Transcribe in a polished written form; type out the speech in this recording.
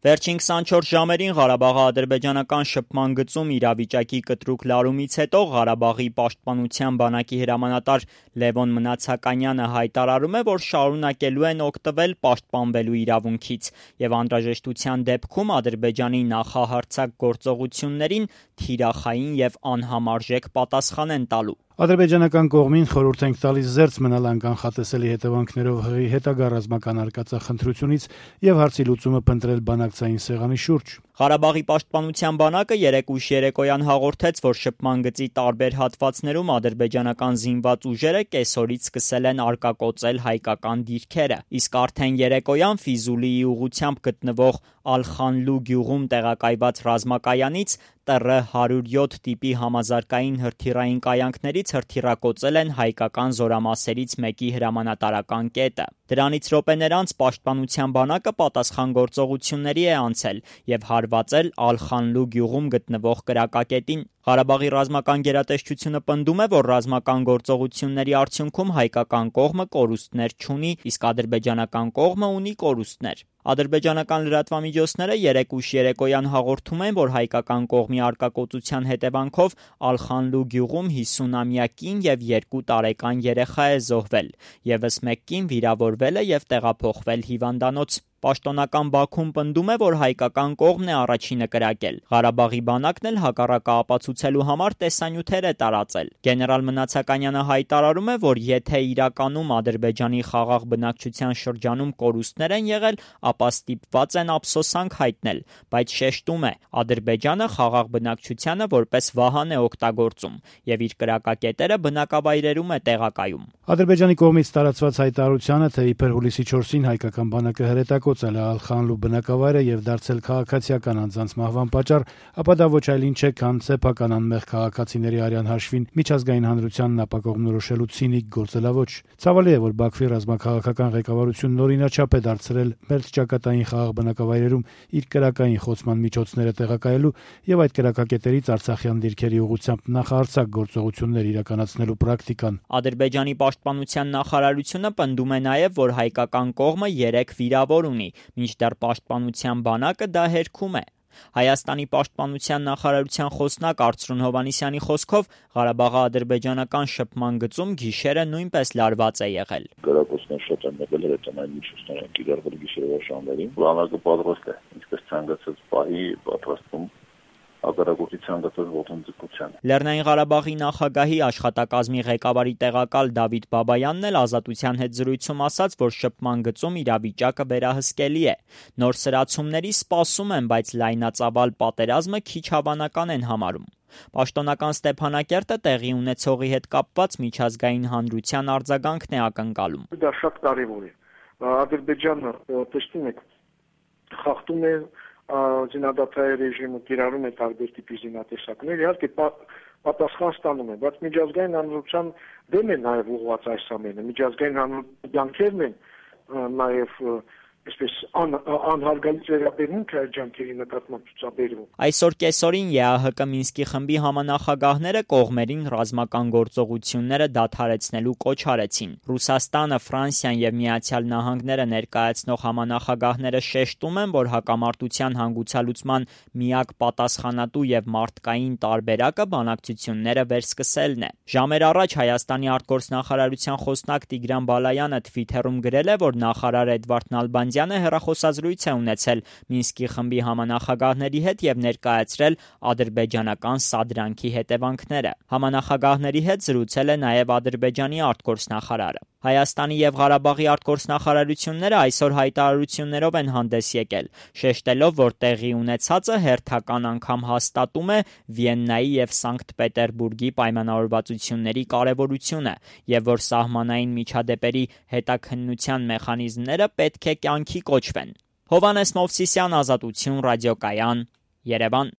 Վերջին 24 ժամերին Ղարաբաղի ադրբեջանական շփման գծում իրավիճակի կտրուկ լարումից հետո Ղարաբաղի պաշտպանության բանակի հրամանատար Լևոն Մնացականյանը հայտարարում է, որ շարունակելու են օգտվել պաշտպանվելու իրավունքից և անհրաժեշտության դեպքում Ադրբեջանի նախահարձակ գործողություններին թիրախային և անհամարժեք պատասխան են տալու։ Ադրբեջանական կողմին խորհուրդ ենք տալիս զերծ մնալ անկանխատեսելի հետևանքներով հղի հետագա ռազմական արկածախնդրությունից և հարցի լուծումը փնտրել բանակցային սեղանի շուրջ։ Ղարաբաղի պաշտպանության բանակը երեկ ուշ երեկոյան հաղորդեց, որ շփման գծի տարբեր հատվածներում ադրբեջանական զինված ուժերը կեսօրից սկսել են արկակոծել հայկական դիրքերը, իսկ արդեն երեկոյան Ֆիզուլիի ուղղությամբ գտնվող Ալ-Խանլու գյուղում տեղակայված ռազմակայանից TR-107 տիպի համազարգային հրթիռային կայանքներից հրթիռակոծել են հայկական զորամասերից մեկի հրամանատարական կետը։ Դրանից րոպեներ անց պաշտպանության բանակը պատասխան գործողությունների է անցել և հարվածել Ալ-Խանլու գյուղում գտնվող կրակակետին։ Ղարաբաղի ռազմական գերատեսչությունը պնդում է, որ ռազմական գործողությունների արդյունքում հայկական կողմը կորուստներ չունի, իսկ ադրբեջանական կողմը ունի կորուստներ։ Ադրբեջանական լրատվամիջոցները երեկ ուշ երեկոյան հաղորդում են, որ հայկական կողմի արկակոծության հետևանքով Ալ-Խանլու գյուղում 50-ամյա կին և 2 տարեկան երեխա է զոհվել, ևս մեկ կին վիրավորվել է և տեղափոխվել հիվանդանոց։ Պաշտոնական Բաքուն պնդում է, որ հայկական կողմն է առաջինը կրակել։ Ղարաբաղի բանակն էլ հակառակը ապացուցելու համար տեսանյութեր է տարածել։ Գեներալ Մնացականյանը հայտարարում է, որ եթե իրականում Ադրբեջանի խաղաղ բնակչության շրջանում կորուստներ են եղել, ապա ստիպված են ափսոսանք հայտնել, բայց շեշտում է, Ադրբեջանը խաղաղ բնակչությանը որպես վահան է օգտագործում և իր կրակակետերը բնակավայրերում է տեղակայում։ Ադրբեջանի կողմից տարածված հայտարարությանը, թե իբր հուլիսի 4-ին հայկական բանակը հրետակոծել է Ալ-Խանլու բնակավայրը և դարձել քաղաքացիական անձանց մահվան պատճառ, ապա դա ոչ այլ ինչ է, քան սեփական անմեղ քաղաքացիների արյան հաշվին միջազգային հանրությանն ապակողմնորոշելու ցինիկ գործելաոճ։ Ցավալի է, որ Բաքվի ռազմաքաղաքական ղեկավարությունն օրինաչափ է դարձրել մերձ ճակատային խաղաղ բնակավայրերում իր կրակային խոցման միջոցները տեղակայելու և այդ կրակակետերից արցախյան դիրքերի ուղղությամբ նախահարձակ գործողություններ իրականացնելու պրակտիկան։ Ադրբեջանի պաշտպանության նախարարությունը պնդում է նաև, որ հայկական կողմը 3 վիրավոր ունի, մինչդեռ պաշտպանության բանակը դա հերքում է։ Հայաստանի պաշտպանության նախարարության խոսնակ Արծրուն Հովհաննիսյանի խոսքով Ղարաբաղի ադրբեջանական շփման գծում գիշերը նույնպես լարված է եղել։ Կրակոցներ շատ են եղել, հրետանային միջոցներ են կիրառվել գիշերվա ժամերին։ Բանակը պատրաստ է, ինչպես ցանկացած պահի պատրաստվում ագարագործի ցանկացած ոտնձգության։ Լեռնային Ղարաբաղի նախագահի աշխատակազմի ղեկավարի տեղակալ Դավիթ Բաբայանն էլ Ազատության հետ զրույցում ասաց, որ շփման գծում իրավիճակը վերահսկելի է։ Նոր սրացումների սպասում են, բայց լայնածավալ պատերազմը քիչ հավանական են համարում։ Պաշտոնական Ստեփանակերտը տեղի ունեցողի հետ կապված միջազգային հանրության արձագանքն է ակնկալում։ Դա շատ կարևոր է։ Ադրբեջանը, տեսնում եք, խախտում է զինադատարի ռեժիմը, կիրառում է տարբեր տիպի զինատեսակներ, իհարկե պատասխան ստանում է, բայց միջազգային հանրության դեմ է նաև ուղղված այս ամենը։ Միջազգային հանրության ջանքերն են նաև այսպես անհարգալից վերաբերմունք այդ ջանքերի նկատմամբ ցուցաբերվում։ Այսօր կեսօրին ԵԱՀԿ Մինսկի խմբի համանախագահները կողմերին ռազմական գործողությունները դադարեցնելու կոչ արեցին։ Ռուսաստանը, Ֆրանսիան և Միացյալ Նահանգները ներկայացնող համանախագահները շեշտում են, որ հակամարտության հանգուցալուծման միակ պատասխանատու և մարդկային տարբերակը բանակցությունները վերսկսելն է։ Ժամեր առաջ Հայաստանի արտգործնախարարության խոսնակ Տիգրան Բալայանը Twitter-ում գրել է, որ նախարար Էդվարդ Նալբանդյանը հեռախոսազրույց է ունեցել Մինսկի խմբի համանախագահների հետ և ներկայացրել ադրբեջանական սադրանքի հետևանքները։ Համանախագահների հետ զրուցել է նաև Ադրբեջանի արտգործնախարարը։ Հայաստանի և Ղարաբաղի արտգործնախարարությունները այսօր հայտարարություններով են հանդես եկել, շեշտելով, որ տեղի ունեցածը հերթական անգամ հաստատում է Վիեննայի և Սանկտ Պետերբուրգի պայմանավորվածությունների կարևորությունը և որ սահմանային միջադեպերի հետաքննության մեխանիզմները պետք է կյանքի կոչվեն։ Հովհաննես Մովսիսյան, Ազատություն ռադիոկայան, Երևան։